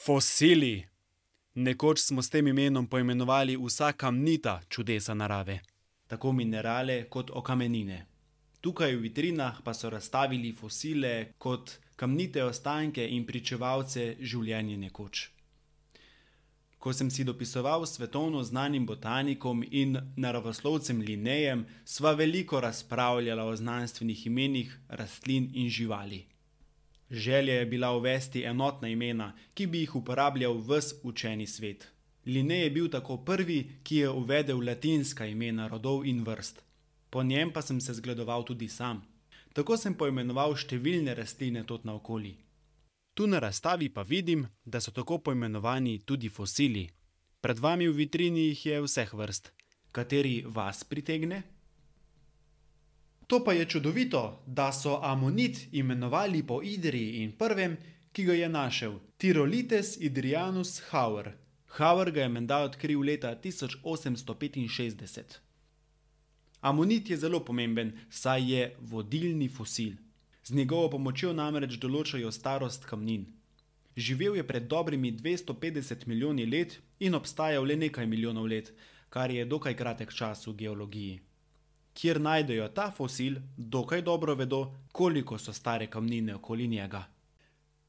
Fosili. Nekoč smo s tem imenom poimenovali vsa kamnita čudesa narave. Tako minerale kot okamenine. Tukaj v vitrinah pa so razstavili fosile kot kamnite ostanke in pričevalce življenja nekoč. Ko sem si dopisoval s svetovno znanim botanikom in naravoslovcem Linnejem, sva veliko razpravljala o znanstvenih imenih rastlin in živali. Želja je bila uvesti enotna imena, ki bi jih uporabljal ves učeni svet. Linnej je bil tako prvi, ki je uvedel latinska imena rodov in vrst. Po njem pa sem se zgledoval tudi sam. Tako sem poimenoval številne rastline tod naokoli. Tu na razstavi pa vidim, da so tako poimenovani tudi fosili. Pred vami v vitrini jih je vseh vrst. Kateri vas pritegne? To pa je čudovito, da so amonit imenovali po Idriji in prvem, ki ga je našel, Tyroletes idrianus Hauer. Hauer ga je menda odkril leta 1865. Amonit je zelo pomemben, saj je vodilni fosil. Z njegovo pomočjo namreč določajo starost kamnin. Živel je pred dobrimi 250 milijoni let in obstajal le nekaj milijonov let, kar je dokaj kratek čas v geologiji. Kjer najdejo ta fosil, dokaj dobro vedo, koliko so stare kamnine okoli njega.